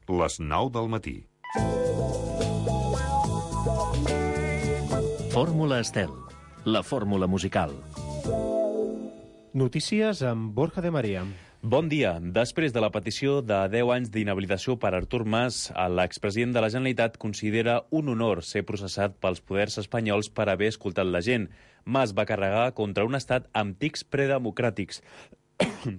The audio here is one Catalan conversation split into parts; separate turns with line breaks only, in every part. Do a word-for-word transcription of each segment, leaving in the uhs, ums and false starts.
les nou del matí.
Fórmula Estel, la fórmula musical.
Notícies amb Borja de Maria.
Bon dia. Després de la petició de deu anys d'inhabilitació per Artur Mas, l'expresident de la Generalitat considera un honor ser processat pels poders espanyols per haver escoltat la gent. Mas va carregar contra un estat amb tics predemocràtics.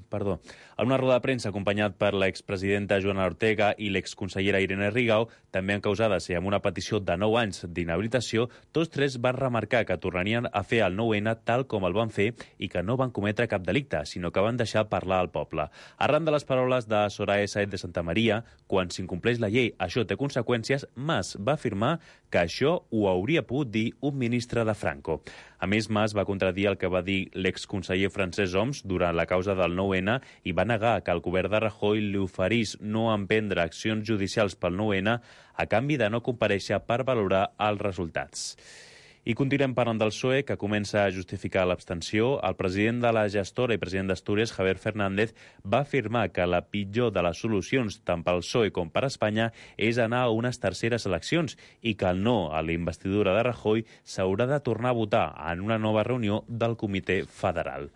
Perdó. En una roda de premsa acompanyat per l'expresidenta Joana Ortega i l'exconsellera Irene Rigau, també encausades i amb una petició de nou anys d'inhabilitació, tots tres van remarcar que tornarien a fer el nou ene tal com el van fer i que no van cometre cap delicte, sinó que van deixar parlar al poble. Arran de les paraules de Soraya Sáenz de Santamaría, quan s'incompleix la llei això té conseqüències, Mas va afirmar que això ho hauria pogut dir un ministre de Franco. A més, Mas va contradir el que va dir l'exconseller Francesc Homs durant la causa del nou ene i va negar que el govern de Rajoy li oferís no emprendre accions judicials pel nou ene a canvi de no comparèixer per valorar els resultats. I continuem parlant del P S O E, que comença a justificar l'abstenció. El president de la gestora i president d'Astúries, Javier Fernández, va afirmar que la pitjor de les solucions, tant pel P S O E com per Espanya, és anar a unes terceres eleccions i que el no a la investidura de Rajoy s'haurà de tornar a votar en una nova reunió del Comitè Federal.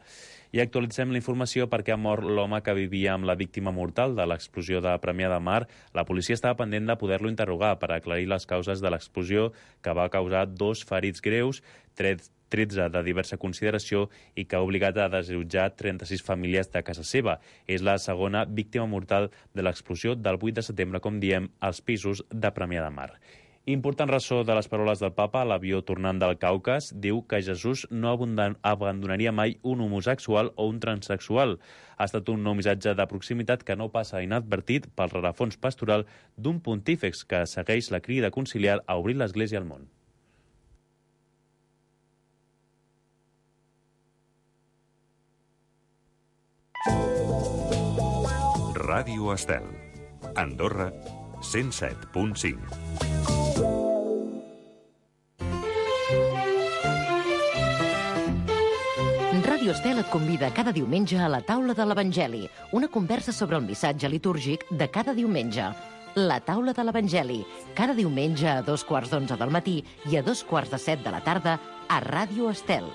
I actualitzem la informació perquè ha mort l'home que vivia amb la víctima mortal de l'explosió de Premià de Mar. La policia estava pendent de poder-lo interrogar per aclarir les causes de l'explosió que va causar dos ferits greus, tretze de diversa consideració i que ha obligat a desallotjar trenta-sis famílies de casa seva. És la segona víctima mortal de l'explosió del vuit de setembre, com diem, als pisos de Premià de Mar. Important ressò de les paraules del papa a l'avió tornant del Caucas, diu que Jesús no abandonaria mai un homosexual o un transsexual. Ha estat un nou missatge de proximitat que no passa inadvertit pel rerefons pastoral d'un pontífex que segueix la crida conciliar a obrir l'Església al món.
Ràdio Estel. Andorra, cent set punt cinc.
Ràdio Estel et convida cada diumenge a la taula de l'Evangeli, una conversa sobre el missatge litúrgic de cada diumenge. La taula de l'Evangeli, cada diumenge a dos quarts d'onze del matí i a dos quarts de set de la tarda a Ràdio Estel.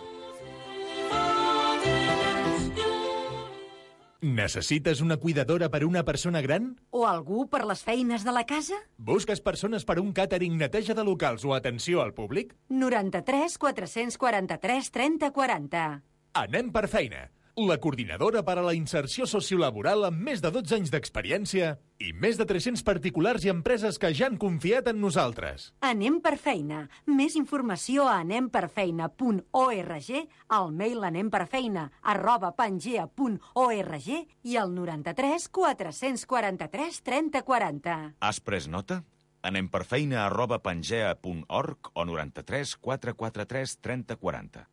Necessites una cuidadora per una persona gran?
O algú per les feines de la casa?
Busques persones per un càtering, neteja de locals o atenció al públic?
noranta-tres quatre-cents quaranta-tres trenta quaranta.
Anem per feina. La coordinadora per a la inserció sociolaboral amb més de dotze anys d'experiència i més de tres-cents particulars i empreses que ja han confiat en nosaltres.
Anem per feina. Més informació a anem per feina punt org, al mail anemperfeina arroba pangea punt org i al noranta-tres quatre-cents quaranta-tres trenta quaranta.
Has pres nota? Anem per feina arroba pangea punt org o noranta-tres quatre-cents quaranta-tres trenta quaranta.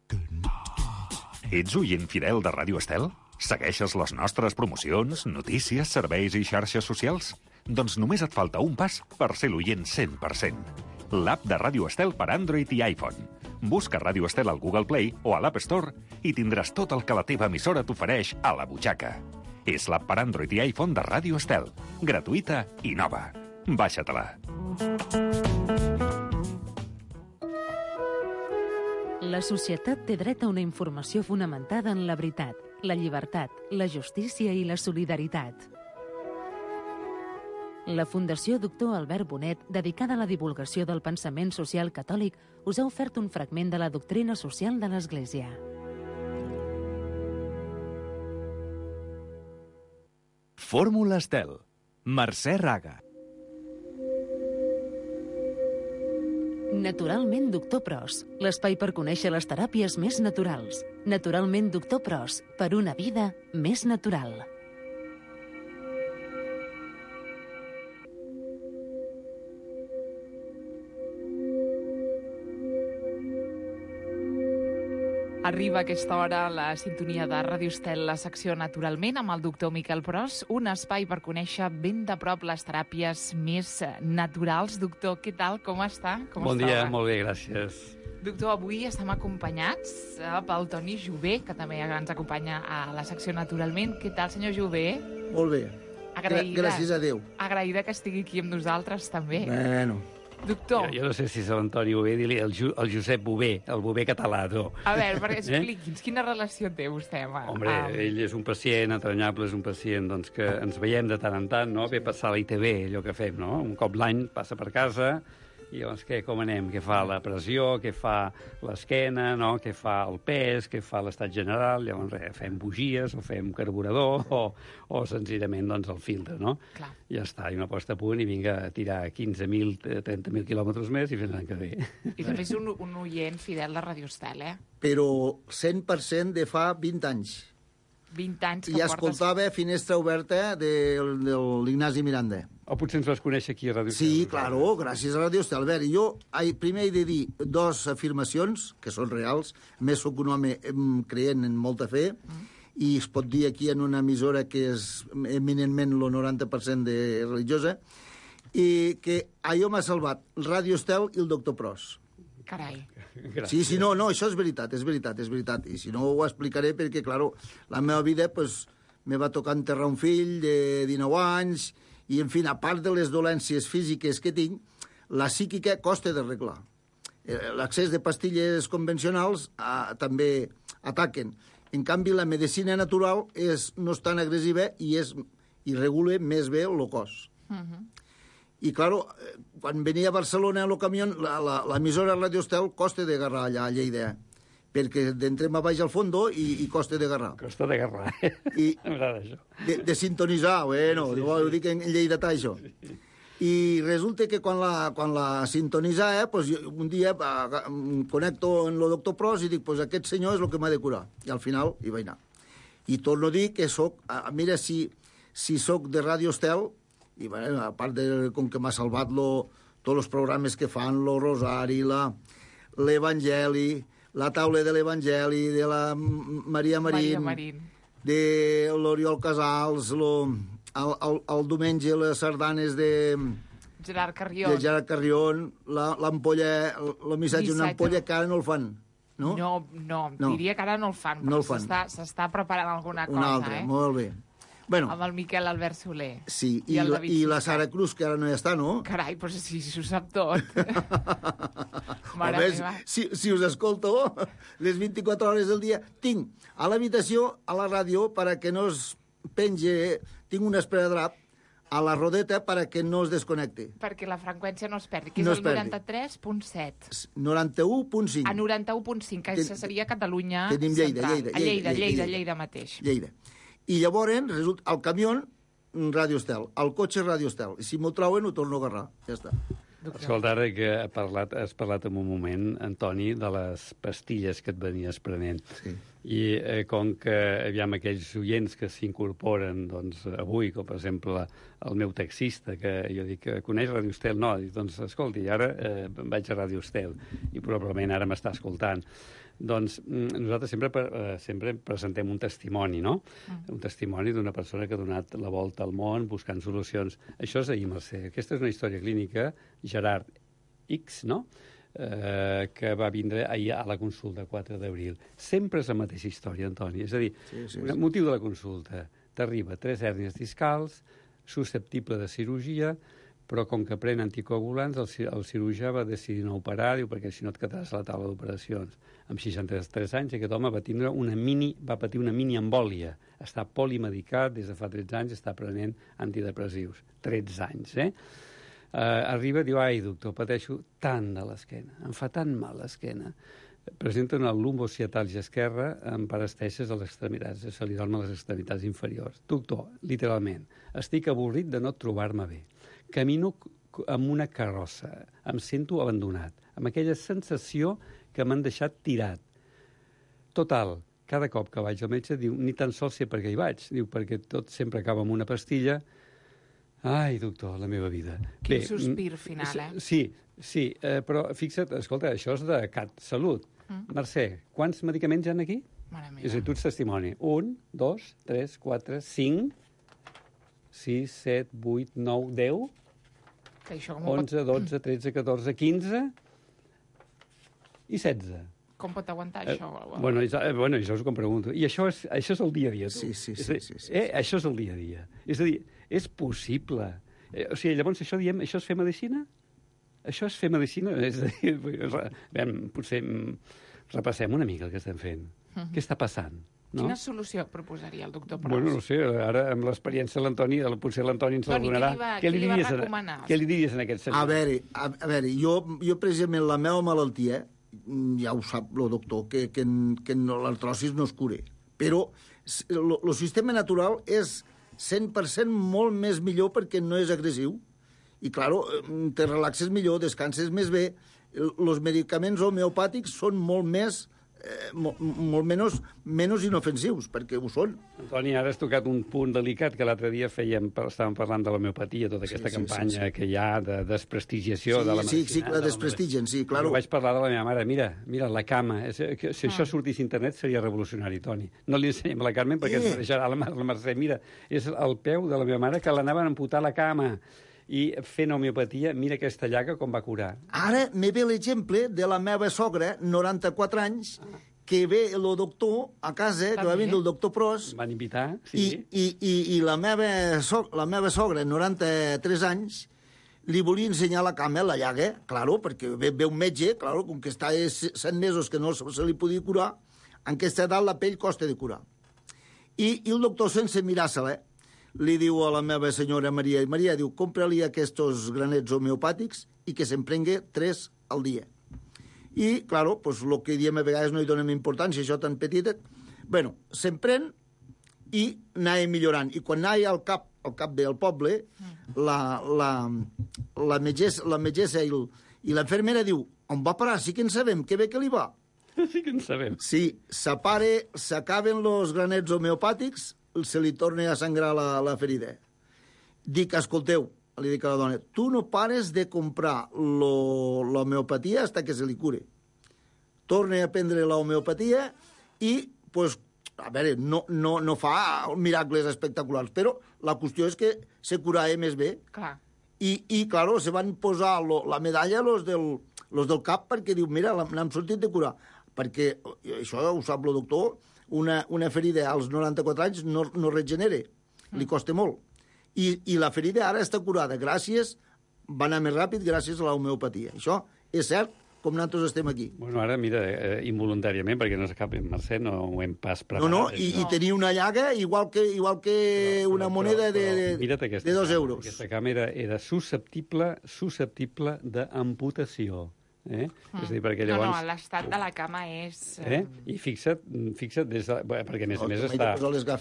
Ets oient fidel de Ràdio Estel? Segueixes les nostres promocions, notícies, serveis i xarxes socials? Doncs només et falta un pas per ser l'oient cent per cent. L'app de Ràdio Estel per Android i iPhone. Busca Ràdio Estel al Google Play o a l'App Store i tindràs tot el que la teva emissora t'ofereix a la butxaca. És l'app per Android i iPhone de Ràdio Estel. Gratuïta i nova. Baixa-te-la.
La societat té dret a una informació fonamentada en la veritat, la llibertat, la justícia i la solidaritat. La Fundació Doctor Albert Bonet, dedicada a la divulgació del pensament social catòlic, us ha ofert un fragment de la doctrina social de l'Església.
Fórmula Estel. Mercè Raga.
Naturalment Doctor Pros, l'espai per conèixer les teràpies més naturals. Naturalment Doctor Pros, per una vida més natural.
Arriba a aquesta hora la sintonia de Ràdio Estel, la secció Naturalment, amb el doctor Miquel Pros, un espai per conèixer ben de prop les teràpies més naturals. Doctor, què tal? Com està? Com
bon
estava?
dia, molt bé, gràcies.
Doctor, avui estem acompanyats pel Toni Jové, que també ens acompanya a la secció Naturalment. Què tal, senyor Jové?
Molt bé.
Agraïda.
Gràcies a Déu.
Agraïda que estigui aquí amb nosaltres, també.
Bueno.
Doctor.
Jo, jo no sé si és l'Antoni Bové, dir-li el, Ju, el Josep Bové, el Bové català, tu.
A veure, perquè expliqui'ns, quina relació té vostè amb...
Hombre,
amb...
ell és un pacient entranyable, és un pacient doncs, que ens veiem de tant en tant, no? Ve passar a la I T V, allò que fem, no? Un cop l'any passa per casa, i llavors què, com anem? Què fa la pressió, què fa l'esquena, no? Què fa el pes, què fa l'estat general? Llavors res, fem bugies, o fem carburador, o, o senzillament doncs, el filtre, no?
Clar.
Ja està, i una posta a punt i vinga a tirar quinze mil, trenta mil quilòmetres més i fins l'any que ve.
I també és un, un oient fidel de Radio Estel, eh?
Però cent per cent de fa vint anys.
vint anys que
I
portes...
escoltava Finestra Oberta de, de l'Ignasi Miranda.
O potser ens vas conèixer aquí a Radio Estel.
Sí, claro, gràcies a Radio Estel. A veure, jo primer he de dir dos afirmacions, que són reals. A més, soc un home creient en molta fe, mm. i es pot dir aquí en una emissora que és eminentment el noranta per cent de religiosa, i que allò m'ha salvat Radio Estel i el doctor Pros.
Carai.
Gràcies. Sí, sí, no, no, això és veritat, és veritat, és veritat. I si no ho explicaré perquè, claro, la meva vida, pues, me va tocar enterrar un fill de dinou anys, i, en fi, a part de les dolències físiques que tinc, la psíquica costa d'arreglar. L'accés de pastilles convencionals ah, també ataquen. En canvi, la medicina natural és, no és tan agressiva i, és, i regula més bé el cos. Uh-huh. I, claro, quan venia a Barcelona a lo camió, l'emissora Radio Estel costa d'agarrar allà a Lleida, perquè d'entrem a baix al fondo i, i costa d'agarrar.
Costa d'agarrar, eh?
I
m'agrada això.
De, de sintonitzar, bueno, sí, sí, ho dic en lleidatà, això. Sí. I resulta que quan la, quan la sintonitzava, eh, pues, un dia eh, connecto en el doctor Pros i dic, pues aquest senyor és el que m'ha de curar. I al final hi vaig anar. I torno a dir que soc, eh, mira, si, si soc de Radio Estel, i bueno, a part de com que m'ha salvat lo, tots els programes que fan, lo Rosari, l'Evangeli, la taula de l'Evangeli, de la Maria Marín,
Maria Marín.
De l'Oriol Casals, lo, el, el, el diumenge les sardanes de...
Gerard Carrion.
De Gerard Carrion, l'ampolla, el missatge d'una ampolla que ara no el fan. No?
No, no, no, diria que ara no el fan,
no
però s'està preparant alguna cosa,
una altra,
eh?
Molt bé. Bueno,
amb el Miquel Albert Soler.
Sí, i, i, la, i la Sara Cruz, que ara no hi està, no?
Carai, però si, si ho sap tot.
Mare meva. Si, si us escolto les vint-i-quatre hores del dia, tinc a l'habitació, a la ràdio, perquè no es penge, tinc un esperadrap a la rodeta perquè no es desconnecti.
Perquè la freqüència no es perdi, que és
no
el noranta-tres punt set.
noranta-u punt cinc.
A noranta-u punt cinc, que Ten, seria Catalunya
tenim Lleida,
central.
Lleida,
a Lleida, Lleida,
Lleida,
Lleida, Lleida mateix.
Lleida. I llavors, resulta, el camió, Radio Estel, el cotxe, Radio Estel. I si m'ho troben, ho torno a agarrar. Ja està.
Escolta, ara que ha parlat, has parlat en un moment, Antoni, de les pastilles que et venies prenent.
Sí.
I eh, com que aviam aquells oients que s'incorporen doncs, avui, com per exemple el meu taxista, que jo dic, coneix Radio Estel? No, dic, doncs escolti, ara eh, vaig a Radio Estel i probablement ara m'està escoltant. Doncs nosaltres sempre, eh, sempre presentem un testimoni, no? Mm. Un testimoni d'una persona que ha donat la volta al món buscant solucions. Això és ahir, Mercè. Aquesta és una història clínica, Gerard X, no?, eh, que va vindre ahir a la consulta quatre d'abril. Sempre és la mateixa història, Antoni. És a dir, sí, sí, sí. El motiu de la consulta. T'arriba tres hèrnies discals, susceptible de cirurgia, però com que pren anticoagulants, el, el cirurgià va decidir no operar, diu, perquè si no et quedaràs a la taula d'operacions. Amb seixanta-tres anys, aquest home va, tindre una mini, va patir una mini embòlia. Està polimedicat des de fa tretze anys, està prenent antidepressius. tretze anys, eh? Uh, arriba i diu, ai, doctor, pateixo tant de l'esquena, em fa tan mal l'esquena. Presenta una lumbociatàlgia esquerra amb parestècies a les extremitats, se li dormen les extremitats inferiors. Doctor, literalment, estic avorrit de no trobar-me bé. Camino amb una carrossa, em sento abandonat, amb aquella sensació que m'han deixat tirat. Total, cada cop que vaig al metge, diu, ni tan sols sé per què hi vaig, diu, perquè tot sempre acaba amb una pastilla. Ai, doctor, la meva vida.
Quin Bé, sospir final, eh?
Sí, sí, eh, però fixa't, escolta, això és de Cat Salut. Mm. Mercè, quants medicaments hi ha aquí?
Mare meva.
És a dir, tu ets testimoni. Un, dos, tres, quatre, cinc, sis, set, vuit, nou, deu, onze, dotze, tretze, catorze, quinze i setze.
Com pot aguantar
eh,
això?
Bueno, és, eh, bueno, això és com pregunto. I això és, això és el dia a dia, tu.
Sí, sí,
és
sí.
dir,
sí, sí,
eh,
sí.
Això és el dia a dia. És a dir, és possible. Eh, o sigui, llavors això diem, això és fer medicina? Això és fer medicina? És a dir, vam, potser repassem una mica el que estem fent. Uh-huh. Què està passant? No?
Quina solució proposaria el doctor Pros?
Bueno, no sé, ara amb l'experiència de l'Antoni, potser l'Antoni ens la donarà.
Què li, va, què li va recomanar?
Què li diries en aquest sentit?
A veure, a, a veure jo, jo precisament la meva malaltia, ja ho sap el doctor, que, que, que no, l'artrosis no es cura. Però el sistema natural és cent per cent molt més millor perquè no és agressiu. I, claro, te relaxes millor, descanses més bé. Els medicaments homeopàtics són molt més... Eh, molt, molt menys, menys inofensius, perquè ho són.
Antoni, ara has tocat un punt delicat que l'altre dia fèiem, estàvem parlant de l'homeopatia, tota aquesta sí, sí, campanya sí, sí. que hi ha de desprestigiació
sí,
de la medicina.
Sí, sí, que la desprestigien, sí, clar.
Vaig parlar de la meva mare, mira, mira, la cama, és, que, si això sortís a internet seria revolucionari, Toni. No li ensenyem a la Carmen perquè eh. ens deixarà la, la Mercè, mira, és el peu de la meva mare que l'anaven a amputar la cama. I fent homeopatia, mira aquesta llaga com va curar.
Ara me ve l'exemple de la meva sogra, noranta-quatre anys, que ve el doctor a casa, que va vindre el doctor Pros.
Van invitar, sí.
I, i, i, i la, meva so, la meva sogra, noranta-tres anys, li volia ensenyar la cama, la llaga, claro, perquè ve, ve un metge, claro, com que està set mesos que no se li podia curar, en aquesta edat la pell costa de curar. I, i el doctor, sense mirar-se-la, li diu a la meva senyora Maria, i Maria diu, compra-li aquests granets homeopàtics i que se'n prengui tres al dia. I, claro, pues, el que diem a vegades no hi donem importància, això tan petitet. Bueno, se'n pren i anava millorant. I quan anava al cap, al cap del poble, la, la, la metgessa, la metgessa i, i l'infermera diu, on va parar? Sí que en sabem, que bé que li va.
Sí que en sabem.
Sí, s'apare, s'acaben els granets homeopàtics, se li torna a sangrar la, la ferida. Dic, escolteu, li dic a la dona, tu no pares de comprar l'homeopatia fins que se li cure. Torna a prendre l'homeopatia i, pues, a veure, no, no, no fa miracles espectaculars, però la qüestió és que se curava més bé.
Clar.
I, i claro, se van posar lo, la medalla los del, los del cap perquè diu, mira, n'hem sortit de curar. Perquè, això ho sap el doctor, una, una ferida als noranta-quatre anys no, no regenera, li costa molt. I, I la ferida ara està curada gràcies, va anar més ràpid gràcies a l'homeopatia. Això és cert, com nosaltres estem aquí.
Bueno, ara, mira, eh, involuntàriament, perquè no s'acabi en Mercè, no ho hem pas preparat.
No, no, i, no. i tenia una llaga igual que, igual que però, una però, moneda però, de, de, de dos
cama,
euros.
Aquesta càmera era susceptible, susceptible d'amputació. Eh?
Mm.
És a dir, perquè llavors...
No, no, l'estat de la cama és...
Eh? I fixa't, fixa't des de... perquè a més a més està,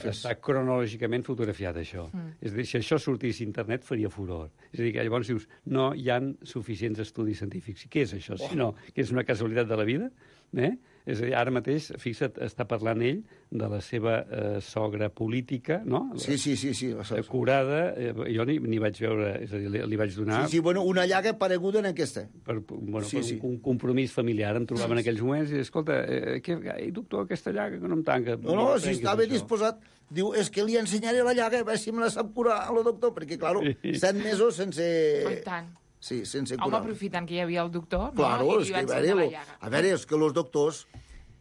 està cronològicament fotografiat, això. Mm. És a dir, si això sortís a internet faria furor. És a dir, que llavors dius, no hi han suficients estudis científics. Què és això? Oh. Si no, que és una casualitat de la vida? Eh? És a dir, ara mateix, fixa't, està parlant ell de la seva eh, sogra política, no?
Sí, sí, sí. sí
curada, eh, jo ni, ni vaig veure, és a dir, li, li vaig donar...
Sí, sí, bueno, una llaga pareguda en aquesta.
Per, bueno,
sí,
per
sí.
un, un compromís familiar, em trobava en aquells moments i, escolta, eh, que, ai, doctor, aquesta llaga que no em tanca...
No, no, si estava això. disposat... Diu, és que li ensenyaré la llaga, a veure si me la sap curar a lo doctor, perquè, claro, sí. set mesos sense...
Per tant.
Sí, sense curar.
Home, aprofitant que hi havia el doctor,
claro,
no?
I li va ensenyar la llaga. A veure, és que els doctors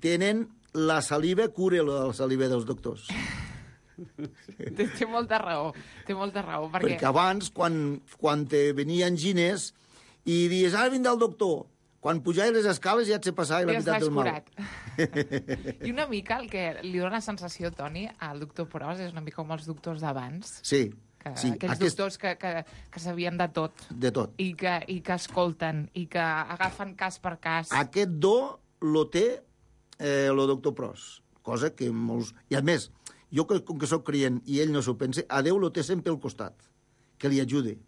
tenen la saliva, cura la saliva dels doctors.
té, té molta raó, té molta raó. Perquè,
perquè abans, quan, quan te venien gines i dius, ara vindrà el doctor, quan pujaves les escales ja et se passava la meitat del mal.
I una mica el que li dona la sensació, Toni, al doctor Pros és una mica com els doctors d'abans.
Sí.
Que,
sí,
aquells aquest... doctors que, que, que sabien de tot.
De tot.
I que, I que escolten, i que agafen cas per cas.
Aquest do lo té eh, el doctor Pros, cosa que molts... I a més, jo que, com que sóc creient i ell no s'ho pensa, a Déu lo té sempre al costat, que li ajude.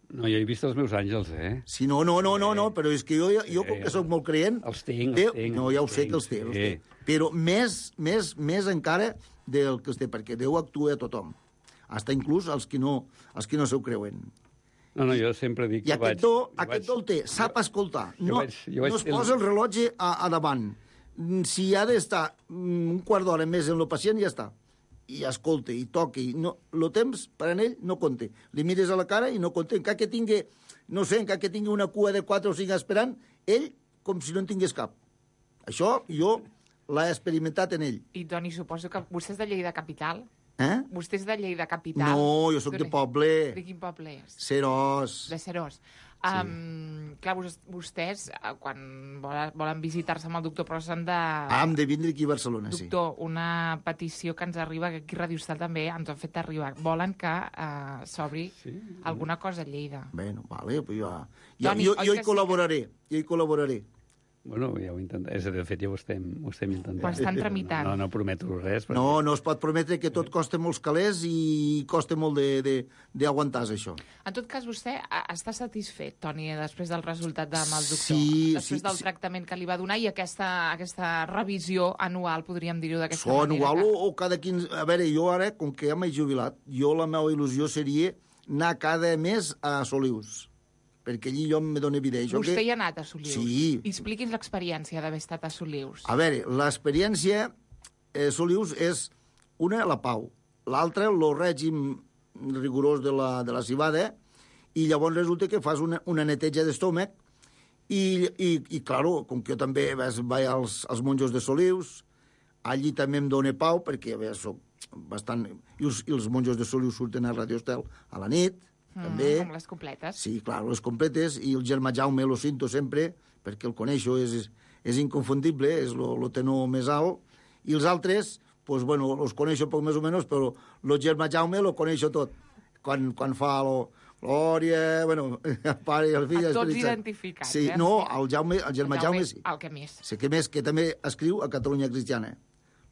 No, jo he vist els meus àngels, eh?
Sí, no, no, no, no, no però és que jo, jo com que sóc molt creient...
Els tinc,
Déu,
els tinc.
No, ja ho
els
sé
tinc,
que els té,
sí.
els té. Però més, més, més encara del que els té, perquè Déu actua a tothom. Hasta inclús els que no, els que no s'ho creuen.
No, no, jo sempre dic...
I aquest do, aquest do el té, sap escoltar. No, vaig, no es posa el rellotge a, a davant. Si ha d'estar un quart d'hora més en el pacient, ja està. I escolta, i toca, i no, el temps per a ell no compta. Li mires a la cara i no compta. Encara que tingui, no sé, encara que tingui una cua de quatre o cinc esperant, ell com si no en tingués cap. Això jo l'he experimentat en ell.
I, Toni, suposo que vostè és de Lleida Capital?
Eh?
Vostè és de Lleida capital.
No, jo sóc de poble.
De quin poble és?
Serós.
De Serós. Um, clar, vostès, quan volen, volen visitar-se amb el doctor Pros, han de...
Ah, hem de vindre aquí a Barcelona, sí.
Doctor, una petició que ens arriba, que aquí a Ràdio Estel també ens han fet arribar. Volen que uh, s'obri sí. alguna cosa a Lleida.
Bueno, vale, pues jo, jo, Toni, jo, jo hi col·laboraré, sí? jo hi col·laboraré.
Bueno, ja ho intentaré. És a dir, de fet, ja ho estem, ho estem intentant.
Ho estan tramitant.
No, no, no prometo res. Perquè...
No, no es pot prometre que tot costa molts calés i costa molt d'aguantar, això.
En tot cas, vostè està satisfet, Toni, després del resultat amb el doctor?
Sí,
després
sí,
del
sí.
tractament que li va donar i aquesta, aquesta revisió anual, podríem dir-ho d'aquesta
manera.
manera.
Anual
que...
o, o cada quinze... A veure, jo ara, com que ja m'he jubilat, jo la meva il·lusió seria anar cada mes a Solius, perquè allí jo em dono vida.
Vostè
que...
hi ha anat a Solius?
Sí.
Expliqui'ns l'experiència d'haver estat a Solius.
A veure, l'experiència a Solius és una, la pau, l'altra, el règim rigorós de la, de la cibada, i llavors resulta que fas una, una neteja d'estómac, i, i, i claro, com que jo també vaig als, als monjos de Solius, allí també em dóna pau, perquè a veure, soc bastant... I els, i els monjos de Solius surten a Radio Estel a la nit,
Mm,
també.
Com les completes.
Sí, clar, les completes, i el germà Jaume lo cinto sempre, perquè el coneixo, és, és inconfundible, és el tenor més alt, i els altres, pues, bueno, els coneixo poc més o menys, però el germà Jaume lo coneixo tot, quan, quan fa lo, Glòria, bueno, el pare i el fill...
A tots identificats,
sí,
eh?
No, el, Jaume, el germà
el
Jaume,
Jaume
sí.
El que més.
Sí, que més, que també escriu a Catalunya Cristiana.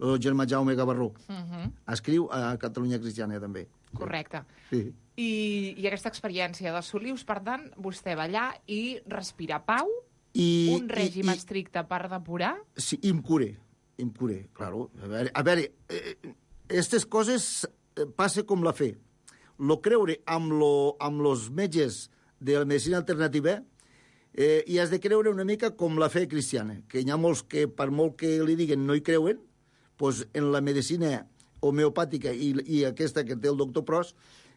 El germà Jaume Gavarró.
Uh -huh.
Escriu a Catalunya Cristiana, també.
Correcte.
Sí.
I, I aquesta experiència de Solius, per tant, vostè va allà i respira pau,
I,
un règim
i, i,
estricte per depurar...
Sí, i em curé, em curé, claro. A veure, a veure eh, aquestes coses passa com la fe. Lo creure amb, lo, amb los metges de la medicina alternativa eh, i has de creure una mica com la fe cristiana, que hi ha molts que, per molt que li diguen, no hi creuen, doncs en la medicina homeopàtica i, i aquesta que té el doctor Pros,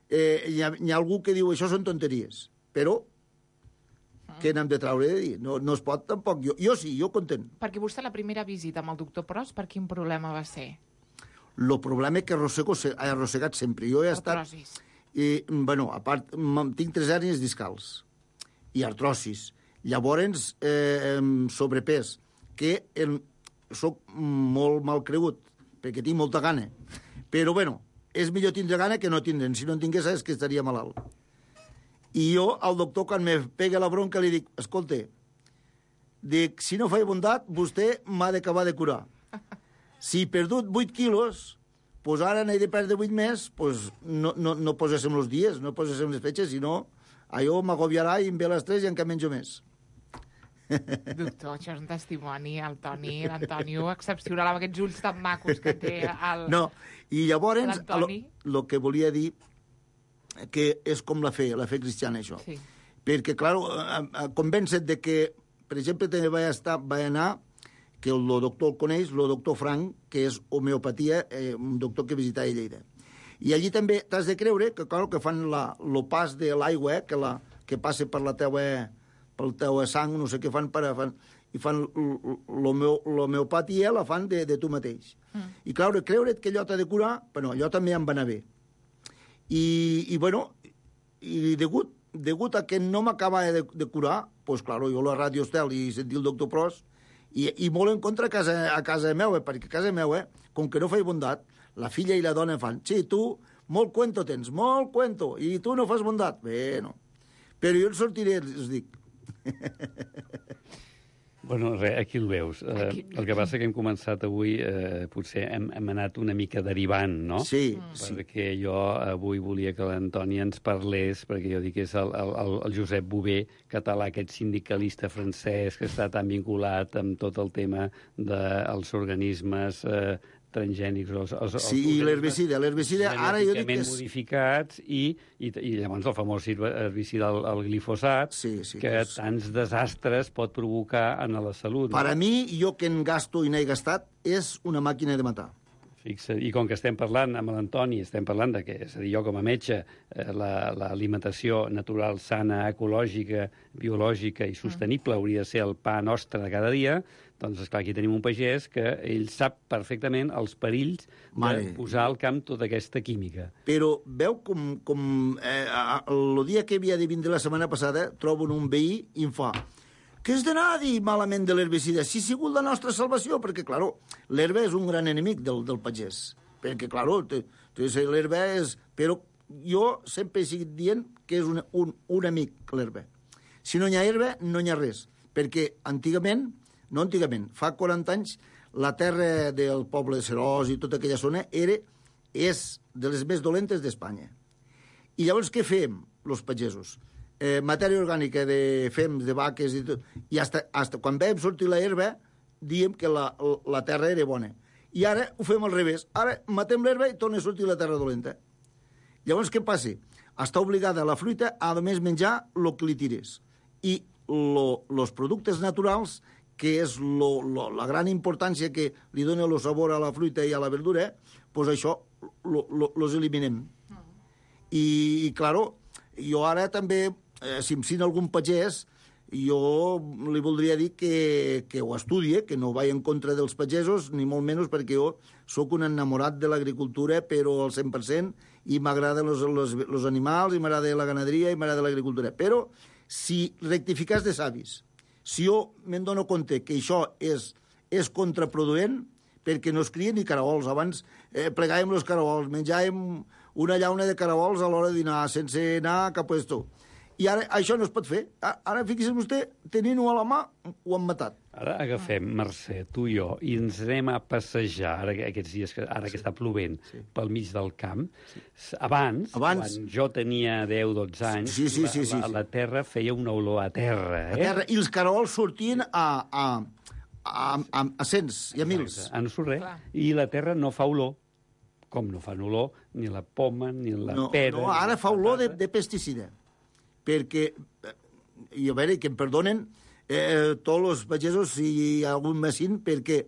eh, hi, ha, hi ha algú que diu això són tonteries, però què n'hem de traure de dir? No, no es pot tampoc. Jo, jo sí, jo content.
Perquè vostè la primera visita amb el doctor Pros, per quin problema va ser?
El problema és que arrossego, he arrossegat sempre. Jo he estat...
Artrosis.
I, bueno, a part, tinc tres hèrnies discals i artrosis. Llavors, eh, sobrepès, que el, soc molt mal cregut, perquè tinc molta gana. Però, bueno, és millor tindre gana que no tindre'n. Si no en tingués, és que estaria malalt. I jo, al doctor, quan me pega la bronca, li dic, escolta, dic, si no faig bondat, vostè m'ha d'acabar de curar. Si he perdut vuit quilos, pues ara n'he de perdre vuit més, pues no, no, no poséssim els dies, no poséssim les fetges, sinó allò m'agobiarà i em ve les tres i encara menjo més.
Doctor, això és un testimoni, el Toni, l'Antonio, excepcional, amb aquests ulls tan macos que té el...
No, i llavors, el que volia dir que és com la fe, la fe cristiana, això.
Sí.
Perquè, clar, convencet de que, per exemple, també vaig, estar, vaig anar, que el doctor el coneix, el doctor Frank, que és homeopatia, eh, un doctor que visitava a Lleida. I allí també t'has de creure que, clar, que fan la, el pas de l'aigua, eh, que, la, que passa per la teua, pel teu sang, no sé què fan, per, fan i fan l'homeopatia, la fan de, de tu mateix. Mm. I, clar, creure't que allò t'ha de curar, però allò també em va anar bé. I, i bueno, i degut, degut a que no m'acabava de, de curar, doncs, clar, jo a la Ràdio Estel i sentir el doctor Pros, I, i molt en contra a casa, a casa meva, perquè a casa meva, com que no faig bondat, la filla i la dona fan, sí, tu molt cuento tens, molt cuento, i tu no fas bondat. Bé, no. Però jo en sortiré, us dic.
Bueno, res, aquí el veus. Aquí... Uh, el que passa que hem començat avui, uh, potser hem, hem anat una mica derivant, no?
Sí,
sí. Perquè jo avui volia que l'Antoni ens parlés, perquè jo dic que és el, el, el Josep Bové, català, aquest sindicalista francès que està tan vinculat amb tot el tema dels organismes uh, transgènics. Els, els,
sí, els i l'herbicida. L'herbicida, ara jo dic que és...
modificats i, i, i llavors el famós herbicida, el, el glifosat,
sí, sí,
que és... tants desastres pot provocar en la salut.
Per
no?
a mi, jo que en gasto i n'he gastat, és una màquina de matar.
Fixa. I com que estem parlant amb l'Antoni, estem parlant de que, és a dir, jo com a metge, eh, l'alimentació natural, sana, ecològica, biològica i sostenible hauria de ser el pa nostre de cada dia, doncs, esclar, aquí tenim un pagès que ell sap perfectament els perills de
Mare.
posar al camp tota aquesta química.
Però veu com, com eh, el dia que havia de vindre la setmana passada trobo un veí i em fa que has d'anar a dir malament de l'herbicida? Si ha sigut la nostra salvació, perquè, clar, l'herba és un gran enemic del, del pagès. Perquè, clar, l'herba és... Però jo sempre he seguit dient que és un, un, un amic, l'herba. Si no hi ha herba, no hi ha res. Perquè antigament, no antigament, fa quaranta anys, la terra del poble de Serós i tota aquella zona era, és de les més dolentes d'Espanya. I llavors què fem, els pagesos? Eh, matèria orgànica de fems, de vaques i tot, i hasta, hasta quan vam sortir la herba diem que la, la terra era bona. I ara ho fem al revés. Ara matem l'herba i torna a sortir la terra dolenta. Llavors què passa? Està obligada la fruita a només menjar el que li tires. I els productes naturals, que és lo, lo, la gran importància que li dona el sabor a la fruita i a la verdura, doncs això los eliminem. I, i claro, jo ara també, eh, si em sent algun pagès, jo li voldria dir que, que ho estudie, que no vagi en contra dels pagesos, ni molt menys, perquè jo sóc un enamorat de l'agricultura, però al cent per cent, i m'agraden els animals, i m'agrada la ganaderia, i m'agrada l'agricultura. Però si rectificàs de savis, si jo me'n dono compte que això és, és contraproduent, perquè no es crien ni caragols. Abans eh, plegàvem els caragols, menjàvem una llauna de caragols a l'hora de dinar, sense anar a cap puesto. I ara això no es pot fer. Ara, fixi's vostè, tenint-ho a la mà, ho han matat.
Ara agafem, Mercè, tu i jo, i ens anem a passejar, ara, aquests dies, que, ara sí. que està plovent, sí. pel mig del camp. Sí. Abans, Abans, quan jo tenia deu o dotze anys,
sí, sí, sí,
la,
sí,
la, la terra feia una olor a terra. Eh?
A terra, i els caragols sortien a... a A, a, a cents i a mils.
A no surt res. I la terra no fa olor, com no fan olor ni la poma, ni la
no,
pera...
No, ara fa olor de, de pesticida. Perquè, i a veure, que em perdonen eh, tots els pagesos i algun messin, perquè,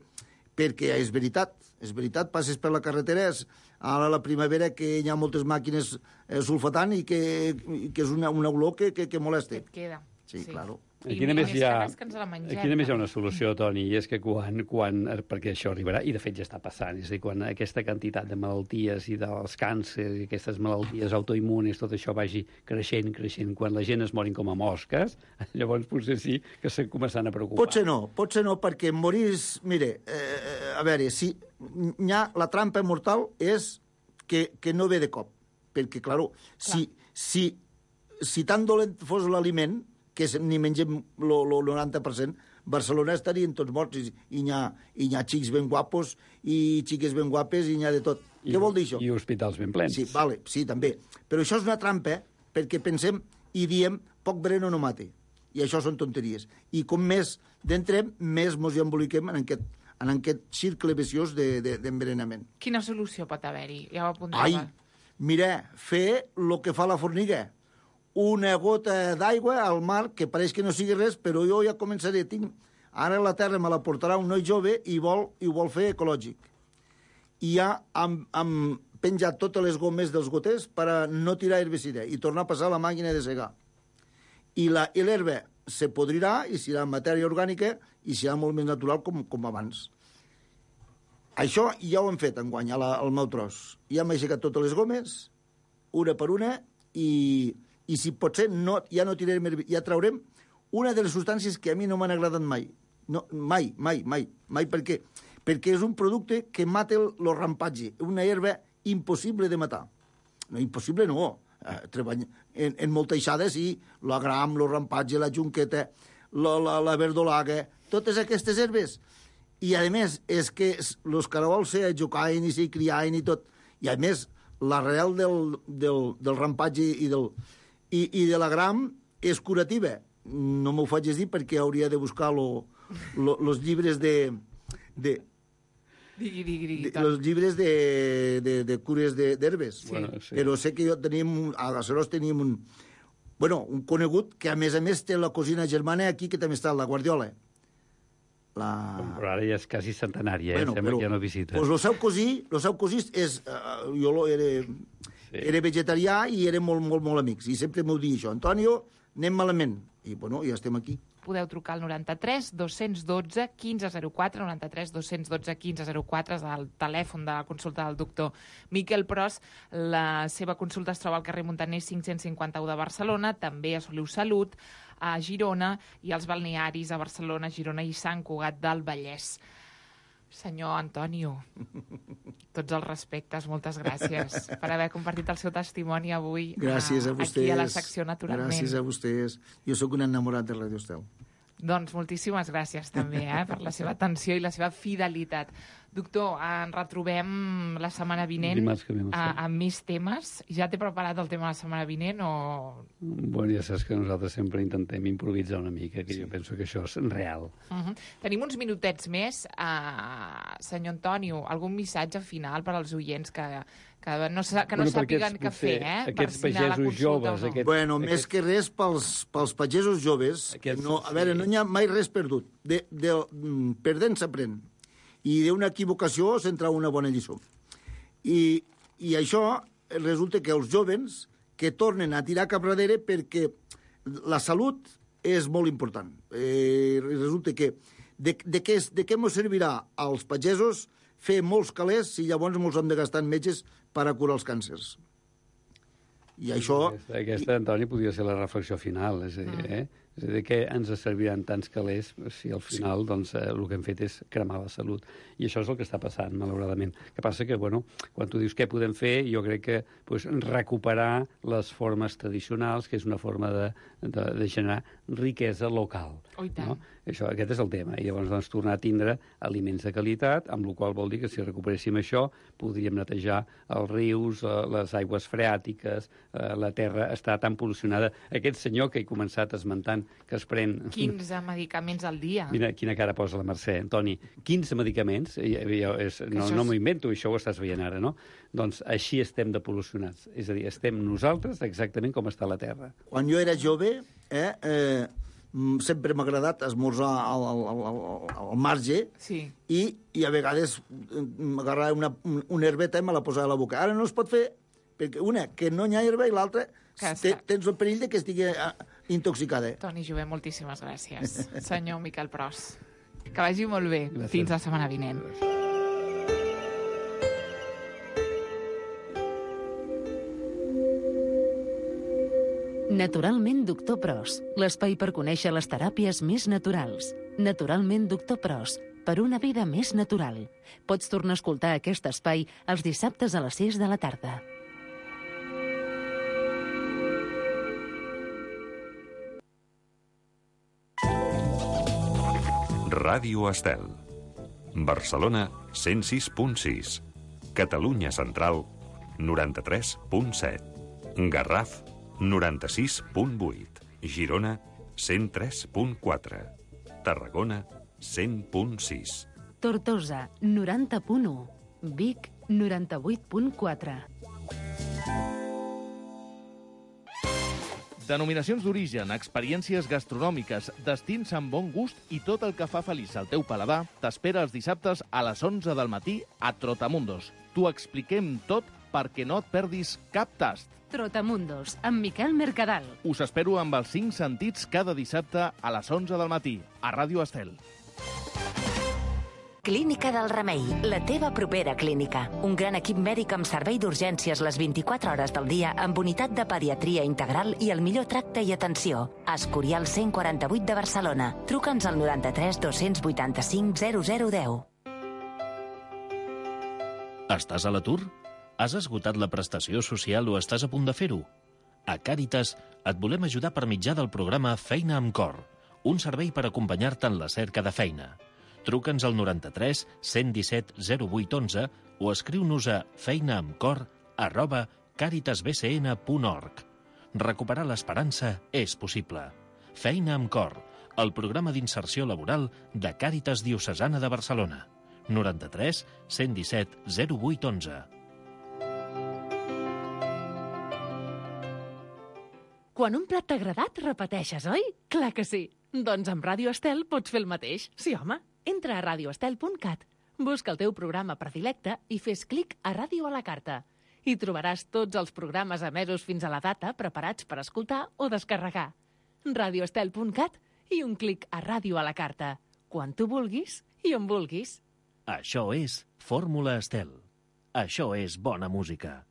perquè és veritat, és veritat, passes per la carretera, és, ara a la primavera que hi ha moltes màquines eh, sulfatant i que, i que és una, una olor que, que, que molesta.
Que et queda.
Sí, sí. Claro.
Aquí només, hi ha, aquí només hi ha una solució, Toni, i és que quan, quan, perquè això arribarà, i de fet ja està passant, és a dir, quan aquesta quantitat de malalties i dels càncers i aquestes malalties autoimmunes, tot això vagi creixent, creixent, quan la gent es morin com a mosques, llavors potser sí que s'han començat a preocupar.
Potser no, potser no, perquè morís... Mire, eh, a veure, si ha, la trampa mortal és que, que no ve de cop, perquè, claro, si, si, si tan dolent fos l'aliment, que ni mengem el noranta per cent, Barcelona estarien tots morts, i, i hi ha, hi ha xics ben guapos, i xiques ben guapes, i hi ha de tot. I, què vol dir això?
I hospitals ben plens.
Sí, vale, sí, també. Però això és una trampa, perquè pensem i diem poc veneno no mate. I això són tonteries. I com més d'entrem, més mos hi emboliquem en aquest, en aquest circle viciós d'envenenament. De,
Quina solució pot haver-hi? Ja ho apuntava.
Ai, mira, fer el que fa la formiga. Una gota d'aigua al mar, que pareix que no sigui res, però jo ja començaré. Tinc... Ara la terra me la portarà un noi jove i vol, i ho vol fer ecològic. I ja hem, hem penjat totes les gomes dels goters per a no tirar herbicida i tornar a passar la màquina de segar. I l'herba se podrirà i serà matèria orgànica i serà molt més natural com, com abans. Això ja ho hem fet enguany, al meu tros. Ja hem aixecat totes les gomes, una per una, i... i si potser no, ja no tirarem, ja traurem una de les substàncies que a mi no m'han agradat mai. No, mai, mai, mai, mai, perquè, perquè és un producte que mata el, el rampatge, una herba impossible de matar. No, impossible no. Eh, treball, en, en molteixades sí, la gram, el rampatge, la junqueta, la, la, la verdolaga, totes aquestes herbes. I, a més, és que els caragols se jocaven i se criaven i tot. I, a més, l'arrel del, del, del rampatge i del... I, i de la gram és curativa. No m'ho faig dir perquè hauria de buscar els llibres de... de
digui, digui, digui,
els llibres de, de, de cures d'herbes.
Sí. Bueno, sí.
Però sé que jo teníem... A Gacerós teníem un... Bueno, un conegut que, a més a més, té la cosina germana aquí, que també està, la Guardiola. La...
Però ara ja és quasi centenària, eh?
Bueno,
Sembla
però,
que ja no visita.
Pues el seu cosí, el seu cosí és... Uh, jo lo era, sí. era vegetarià i érem molt, molt, molt amics. I sempre m'ho dia això. Antonio, anem malament. I, bueno, ja estem aquí.
Podeu trucar al noranta-tres dos-cents dotze quinze zero quatre, noranta-tres dos-cents dotze quinze zero quatre, és el telèfon de la consulta del doctor Miquel Pros. La seva consulta es troba al carrer Montaner cinc-cents cinquanta-u de Barcelona, també a Soliu Salut, a Girona, i als balnearis a Barcelona, Girona i Sant Cugat del Vallès. Senyor Antonio, tots els respectes, moltes gràcies per haver compartit el seu testimoni avui
gràcies a, a vostès,
aquí a la secció Naturalment.
Gràcies a vostès. Jo sóc un enamorat de Radio Estel.
Doncs moltíssimes gràcies també eh, per la seva atenció i la seva fidelitat. Doctor, ens retrobem la setmana vinent amb més temes. Ja t'he preparat el tema de la setmana vinent o...?
Bueno, ja saps que nosaltres sempre intentem improvisar una mica, que sí. Jo penso que això és real.
Uh -huh. Tenim uns minutets més. Uh, senyor Antonio, algun missatge final per als oients que... que no, que no bueno, sàpiguen què fer, eh?
Aquests pagesos joves...
No. Aquests, bueno, aquests... més que res pels, pels pagesos joves, aquests, no, a veure, sí. no hi ha mai res perdut. De, de, perdent s'aprèn. I d'una equivocació s'entra una bona lliçó. I, I això resulta que els joves que tornen a tirar cap darrere perquè la salut és molt important. Eh, resulta que de, de, què, de què ens servirà als pagesos fer molts calés si llavors ens hem de gastar en metges per a curar els càncers. I això...
Aquesta, aquesta Antoni, podria ser la reflexió final, és a dir, eh? És a dir, que ens serviran tants calés si al final sí. doncs, eh, el que hem fet és cremar la salut. I això és el que està passant, malauradament. El que passa que, bueno, quan tu dius què podem fer, jo crec que pues, recuperar les formes tradicionals, que és una forma de, de, de generar riquesa local.
Oh, i tant.
No? Això, aquest és el tema. I llavors doncs, tornar a tindre aliments de qualitat, amb la qual vol dir que si recuperéssim això, podríem netejar els rius, les aigües freàtiques, la terra està tan pol·lucionada. Aquest senyor que he començat esmentant que es pren...
quinze medicaments al dia.
Mira quina cara posa la Mercè, Antoni. quinze medicaments, i, i, és, no, no m'ho invento, això ho estàs veient ara, no? Doncs així estem de pol·lucionats. És a dir, estem nosaltres exactament com està la Terra.
Quan jo era jove, eh, eh, sempre m'ha agradat esmorzar al, al, al, al marge
sí.
i, i a vegades m'agarrava una, una herbeta i me la posava a la boca. Ara no es pot fer, perquè una, que no hi ha herba, i l'altra, te, tens el perill de que estigui intoxicada.
Toni Jové, moltíssimes gràcies. Senyor Miquel Pros, que vagi molt bé.
Gràcies.
Fins la setmana vinent.
Naturalment Doctor Pros, l'espai per conèixer les teràpies més naturals. Naturalment Doctor Pros, per una vida més natural. Pots tornar a escoltar aquest espai els dissabtes a les sis de la tarda.
Ràdio Estel. Barcelona, cent sis punt sis. Catalunya Central, noranta-tres punt set. Garraf, noranta-sis punt vuit. Girona, cent tres punt quatre. Tarragona, cent punt sis.
Tortosa, noranta punt u. Vic, noranta-vuit punt quatre.
Denominacions d'origen, experiències gastronòmiques, destins amb bon gust i tot el que fa feliç al teu paladar t'espera els dissabtes a les onze del matí a Trotamundos. T'ho expliquem tot perquè no et perdis cap tast.
Trotamundos, amb Miquel Mercadal.
Us espero amb els cinc sentits cada dissabte a les onze del matí, a Ràdio Estel.
Clínica del Remei, la teva propera clínica. Un gran equip mèdic amb servei d'urgències les vint-i-quatre hores del dia, amb unitat de pediatria integral i el millor tracte i atenció. Escorial cent quaranta-vuit de Barcelona. Truca'ns al noranta-tres dos-cents vuitanta-cinc zero zero deu.
Estàs a l'atur? Has esgotat la prestació social o estàs a punt de fer-ho? A Càritas et volem ajudar per mitjà del programa Feina amb Cor, un servei per acompanyar-te en la cerca de feina. Truca'ns al noranta-tres cent disset zero vuit onze o escriu-nos a feinaamcor arroba caritasbcn punt org. Recuperar l'esperança és possible. Feina amb Cor, el programa d'inserció laboral de Càritas Diocesana de Barcelona. noranta-tres cent disset zero vuit onze.
Quan un plat t'ha agradat, repeteixes, oi? Clar que sí. Doncs amb Ràdio Estel pots fer el mateix. Sí, home. Entra a radioestel punt cat, busca el teu programa predilecte i fes clic a Ràdio a la carta. Hi trobaràs tots els programes emesos fins a la data preparats per escoltar o descarregar. radioestel punt cat i un clic a Ràdio a la carta. Quan tu vulguis i on vulguis.
Això és Fórmula Estel. Això és bona música.